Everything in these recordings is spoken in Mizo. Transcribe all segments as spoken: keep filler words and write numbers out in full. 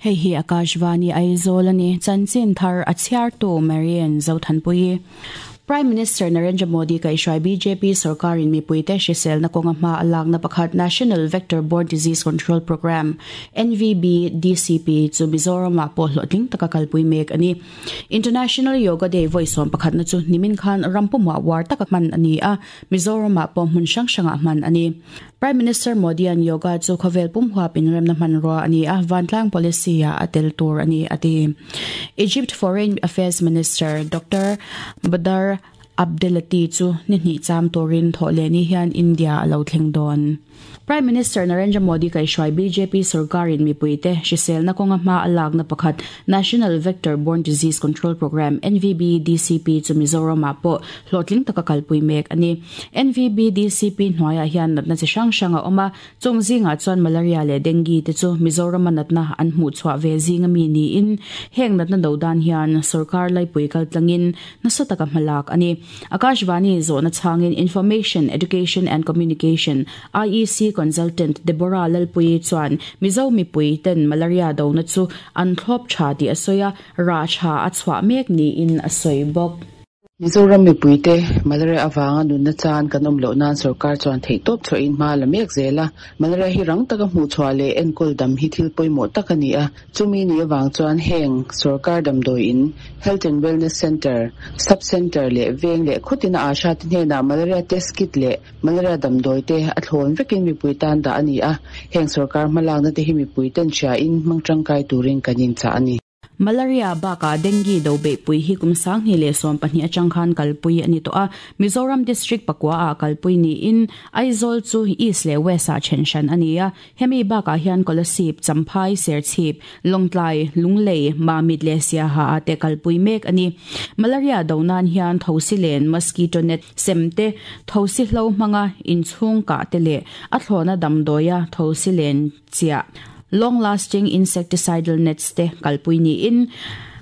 Hei hi Akashvani Aizawl ani chanchin thar a chhiartu Marian Zothanpui. Prime Minister Narendra Modi kaihhruai B J P sarkarin mipuite hriselna kawnga hma a lakna pakhat, National Vector Borne Disease Control Programme, N V B D C P chu Mizoramah pawh hlawhtling taka kalpui mek ani. International Yoga Day vawi sawm pakhatna chu nimin khan rampumah war taka hman ani a, Mizoramah pawh hmun hrang hrangah hman ani. Prime Minister Modi an yoga chu khawvel pum huap inremna hmanrua ani a, vantlang policy a atel tur ani ati. Egypt Foreign Affairs Minister Doctor Badar Abdelati chu ni hnih cham turin thawhlehni hian India a lo thleng dawn. Prime Minister Narendra Modi kaihhruai B J P sarkarin mipuite hriselna kawnga hma a lakna pakhat, National Vector Borne Disease Control Programme, N V B D C P chu Mizoramah pawh hlawhtling taka kalpui mek ani. N V B D C P hnuaiah hian natna chi hrang hrang a awm a, chung zingah chuan malaria leh dengue te chu Mizoram a natna an hmuh chhuah ve zinga mi niin heng natna do dan hian sarkar laipui kaltlangin nasa taka hmalak ani. Akashvani zawhna chhangin Information, Education and Communication, I E C Consultant Deborah Lalpui chuan Mizo mipui ten malaria do na chu an thlawp tha ti a sawi a, ra tha a chhuah mek niin a sawi bawk. Mizoram mipuite malaria awanga nunna chan kan awm loh nan sarkar chuan theihtawp chhuahin hma la mek zel a. Malaria hi rang taka hmuh chhuah leh enkawl dam hi thil pawimawh tak ani a. Chumi ni awang chuan heng sarkar damdawi in, Health and Wellness Center, Sub Center leh veng leh khawtina asha te hnenah malaria test kit leh malaria damdawi te a thlawn vekin mipui tan dah ani a. Heng sarkar hmalakna te hi mipui ten hria in hmang tangkai turin kan in chah ani. Malaria baka dengue do be pui hi kum sang ni le som pahnih atang khan kalpui ani to a. Mizoram district pakwa a kalpui ni in Aizawl chu East le West a thenshan ani a. Hemi baka hian Kolasib, Champhai, Serchhip, Lawngtlai, Lunglei, Mamit le Siaha a te kalpui mek ani. Malaria do nan hian thosilen, mosquito net semte, thosi hlo hmanga inchhung ka te le a thlona damdoya thosilen chia, long lasting insecticidal nets te kalpui ni in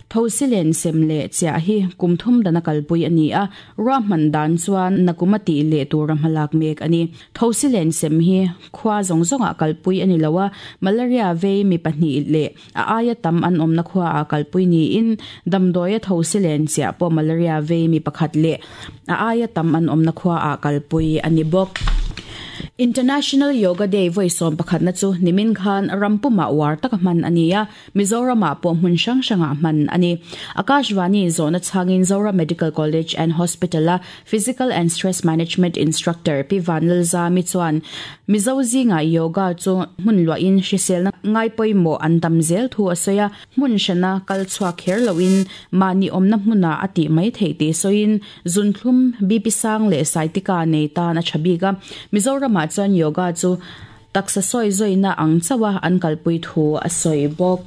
thosilen sem le chia hi kumthum dana kalpui ani a. Ra man dan chuan nakumati le tura malak mek ani. Thosilen sem hi khwa zong zonga kalpui ani lowa, malaria ve mi pahnih le a aya tam an om na khwa a kalpui ni in damdoya thosilen chia po malaria ve mi pakhat le a aya tam an om na khwa a kalpui ani bok. International Yoga Day vawi sawm pakhatna chu nimin khan rampuma war taka hman ania, Mizoram pawh hmun hrang hranga hman ani. Akashvani zawhna chhangin Zora Medical College and Hospital a Physical and Stress Management Instructor Pi Vanlalzami chuan Mizo zinga yoga chu hmun luahin hriselna ngai pawimawh an tam zel thu a sawi a. Hmun hrana kal chhuak kher loin mahni awmna hmuna a tih mai theih tih sawiin zunthlum, B P sang leh saitika nei tan a tha bik a. Mizoramah chuan yoga chu taksa sawi zawina ang chawa an kalpui thu a sawi bawk.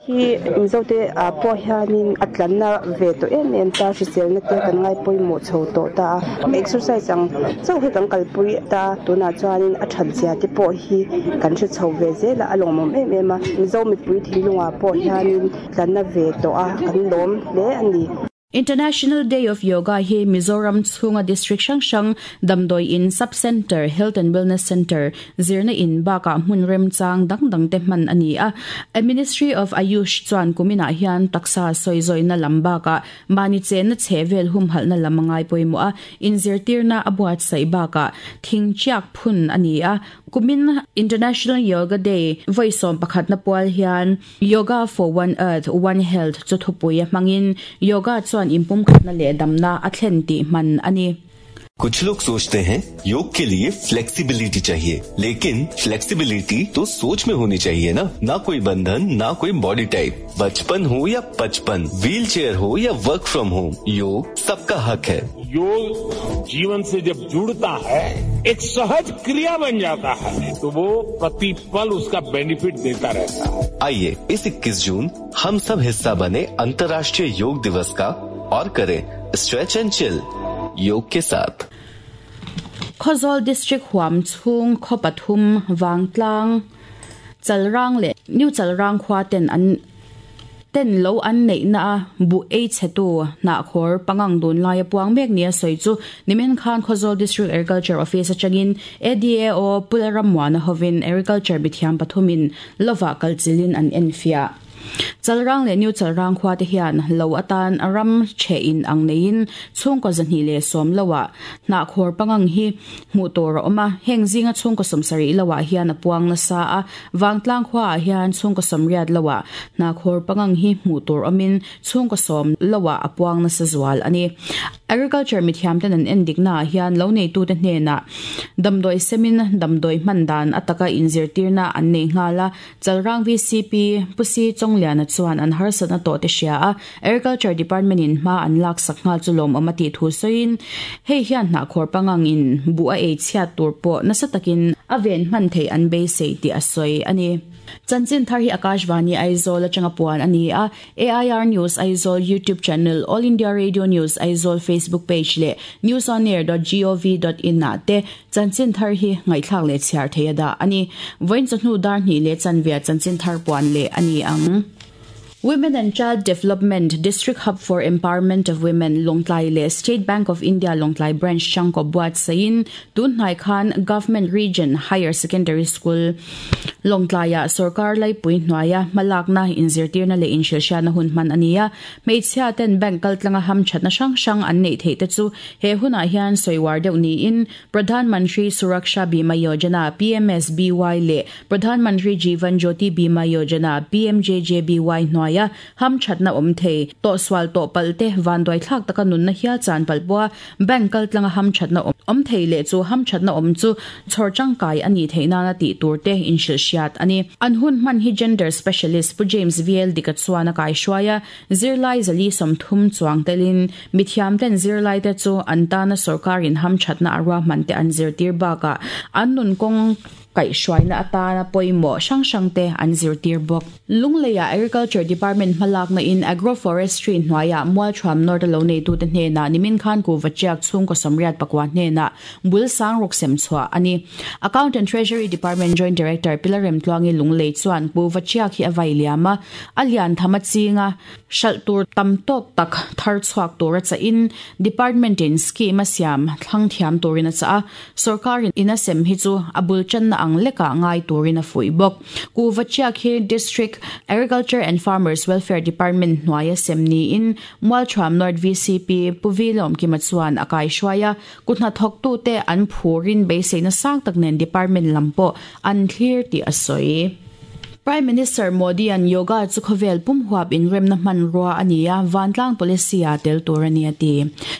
Hi Mizote a pawh hianin a tlanna ve tawh em em ta, hriselna te kan ngai pawimawh chho tawh ta a. Exercise ang chauh hi kan kalpui ta, tunah chuanin a that zia te pawh hi kan hre chho ve zel a, a lawmawm em em a. Mizo mipui thinlungah pawh hianin tlanna ve tawh a, kan lawm hle ani. International Day of Yoga hi Mizoram chhunga district hrang hrang damdawi in, sub center, health and wellness center, zirna in baka hmun rem chang dang dang te hman ani a. A Ministry of Ayush chuan kumina hian taksa sawizawi lam baka mani che na chhevel hum halna lamangai poimo a, in zirtirna abuat sai baka thing chiak phun ani a. Kumin International Yoga Day vawi sawm pakhat na pual hian "Yoga for One Earth, One Health" chu thupui hmangin yoga chuan impum khatna leh damna a thlen tih hman ani. कुछ लोग सोचते हैं योग के लिए flexibility चाहिए, लेकिन फ्लेक्सिबिलिटी तो सोच में होनी चाहिए ना। ना कोई बंधन, ना कोई बॉडी टाइप। बचपन हो या पचपन, व्हील चेयर हो या work from home, योग सबका हक है। योग जीवन से जब जुड़ता है, एक सहज क्रिया बन जाता है, तो वो प्रतिपल उसका बेनिफिट देता रहता है। आइए, इस इक्कीस जून हम सब हिस्सा बने अंतर्राष्ट्रीय योग दिवस का और करें stretch and chill योग के साथ। Khawzawl District huam chhung khaw pathum, Vangtlang, Chalrang leh New Chalrang khua ten an ten lo an nei na bu ei chetu na khor pangang dun lai puang mek nia soi chu nimen khan Khawzawl District Agriculture Office atangin A D A O Pularamwana hovin agriculture bithiam pathumin lova kalchilin an enfia Chalrang le new chalrang khwa te hian lo atan aram che in ang nein chungko zanhi le som lowa na khor pangang hi hmu tur oma heng zinga chungko somsari lowa hian apuang na sa a wangtlang khwa hian chungko somriat lowa na khor pangang hi hmu tur omin chungko som lowa apuang na sa zual ani agriculture mithiam ten an endik na hian lo nei tu te hne na damdoi semin damdoi mandan ataka inzir tirna an nei ngala chalrang V C P pusi chongliana chuan an harsat na to te sia a agriculture department in ma an lak sak nga chulom amati thu soin hei hian na khor pangang in bu a e chhia tur po na satakin aven man thei an be sei ti asoi ani chanchin thar hi Akashvani Aizawl atanga puan ani a A I R News Aizawl YouTube channel All India Radio News Aizawl Facebook page le news on air dot gov dot in na te chanchin thar hi ngaithlak le chhiar theia da ani voin chnu dar ni le chanvia chanchin thar puan le ani ang Women and Child Development District Hub for Empowerment of Women Lawngtlai le State Bank of India Lawngtlai Branch changko buat sain tun hnai khan Government Region Higher Secondary School Lawngtlai a sarkar lai pui hnuaia malakna inzirtirna le inshilsha na hun man ania hmeichhia ten bank kaltlanga ham thatna hrang hrang an nei thei te chu he huna hian soiwar deuh ni in Pradhan Mantri Suraksha Bima Yojana P M S B Y le Pradhan Mantri Jeevan Jyoti Bima Yojana P M J J B Y hnuaia ham thatna om thei to swal to palte van doi thlak taka nun na hial chan palbua bank kal tlanga ham thatna om thei le chu ham thatna om chu chhor changkai ani theina na ti turte in shil shiat ani an hun man hi gender specialist pu James V L dika chuana kai shwaya zirlai zali somthum chuang telin mithiam ten zirlai te chu antana sarkarin ham thatna arwa man te an zir tir ba ka an nun kong kai shwaina atana poimo sang sang te an zir tir bok lungleya agriculture department malak na in agroforestry hnuaia mualthram north lo nei tu te hne na nimin khan ku vachiak chung ko samriat pakwa hne na bul sang rok sem chua ani account and treasury department joint director pilarem tluangi lunglei chuan ku vachiak hi avai liama alian thama chinga shaltur tamtok tak thar chuak tura cha in department in scheme siam thlang thiam turina cha sarkar in asem hi chu abul chan na ang leka ngai turina fui bok ku vachiak hi district agriculture and farmers welfare department hnuaia semni in mualthram north V C P puvilom kimachuan akai shwaya kutna thok tu te an phurin beiseina sang tak nen department lampo an thlir ti asoi Prime Minister Modi an yoga chu khovel pum huap in remna man ruwa ania wantlang policy a tel turania ti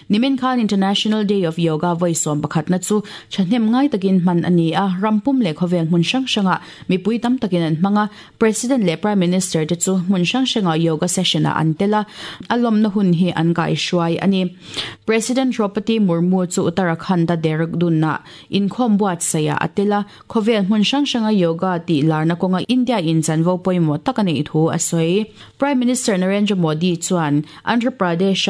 nimin khan International Day of Yoga voisom pakhat na chu chhnem ngai takin man ania rampum le khovel mun sang sanga mipui tam takin an manga President le Prime Minister te chu mun sang sanga yoga session a antela alom na hun hi an kai shwai ani President Draupadi Murmu chu Uttarakhand Dehradun na inkhom buat saya atela khovel mun sang sanga yoga ti larna konga India in chanvo poimo takani thu asoi Prime Minister Narendra Modi chuan Andhra Pradesh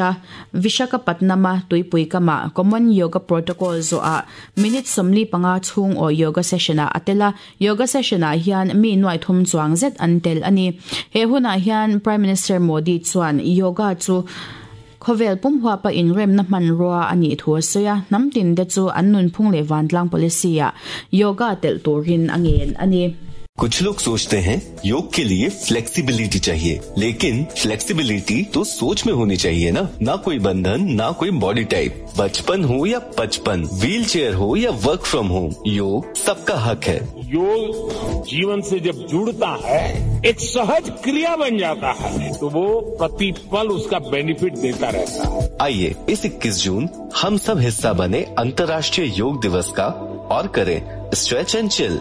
Visakhapatnama tuipui kama Common Yoga Protocol zo a minute somli panga chung o yoga session a atela yoga session a hian mi nuai thum chuang zet antel ani he huna hian Prime Minister Modi chuan yoga chu khovel pum hua pa in rem na man ruwa ani thu soya namtin de chu annun phung le wantlang policy a yoga tel turin angen ani कुछ लोग सोचते हैं योग के लिए flexibility चाहिए, लेकिन फ्लेक्सिबिलिटी तो सोच में होनी चाहिए ना। ना कोई बंधन, ना कोई बॉडी टाइप, बचपन हो या पचपन, व्हील चेयर हो या work from home, योग सबका हक है। योग जीवन से जब जुड़ता है, एक सहज क्रिया बन जाता है, तो वो प्रतिपल उसका बेनिफिट देता रहता है। आइए इस इक्कीस जून हम सब हिस्सा बने अंतर्राष्ट्रीय योग दिवस का और करें stretch and chill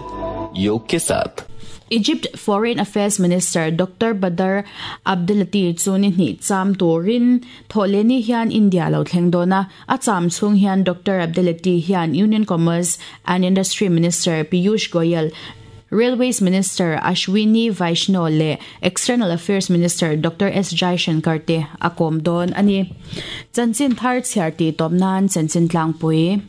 योग के साथ। Egypt Foreign Affairs Minister Doctor Badr Abdelati chuni ni cham turin tholeni hian India lo thleng dona a cham chung hian Doctor Abdelati hian Union Commerce and Industry Minister Piyush Goyal, Railways Minister Ashwini Vaishnaw le External Affairs Minister Doctor S Jaishankar te akom don ani chanchin thar chhiar ti topnan chanchin tlangpui.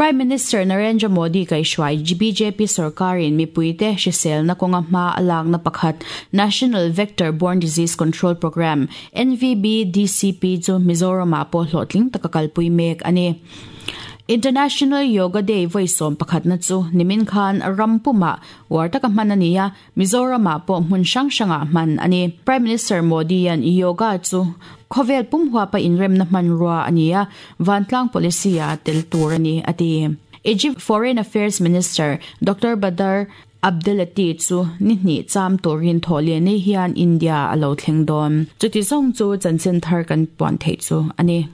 Prime Minister Narendra Modi kaihhruai B J P sarkarin mipuite hriselna kawnga hma a lakna pakhat, National Vector Borne Disease Control Program, N V B D C P chu Mizoramah pawh hlawhtling taka kalpui mek ani. International Yoga Day voi sawm pakhatna chu nimin khan rampuma war taka hman ani a, Mizoramah pawh hmun hrang hrangah hman ani. Prime Minister Modi an yoga chu khawvel pum huapa inremna hmanrua ani a, vantlang policy a tel tur ani ati. Egypt Foreign Affairs Minister Doctor Badr Abdelati chu ni hnih cham turin thawhlian hian India alo thleng dawn. Chuti zawng chu chanchin thar kan puan thei chu ani.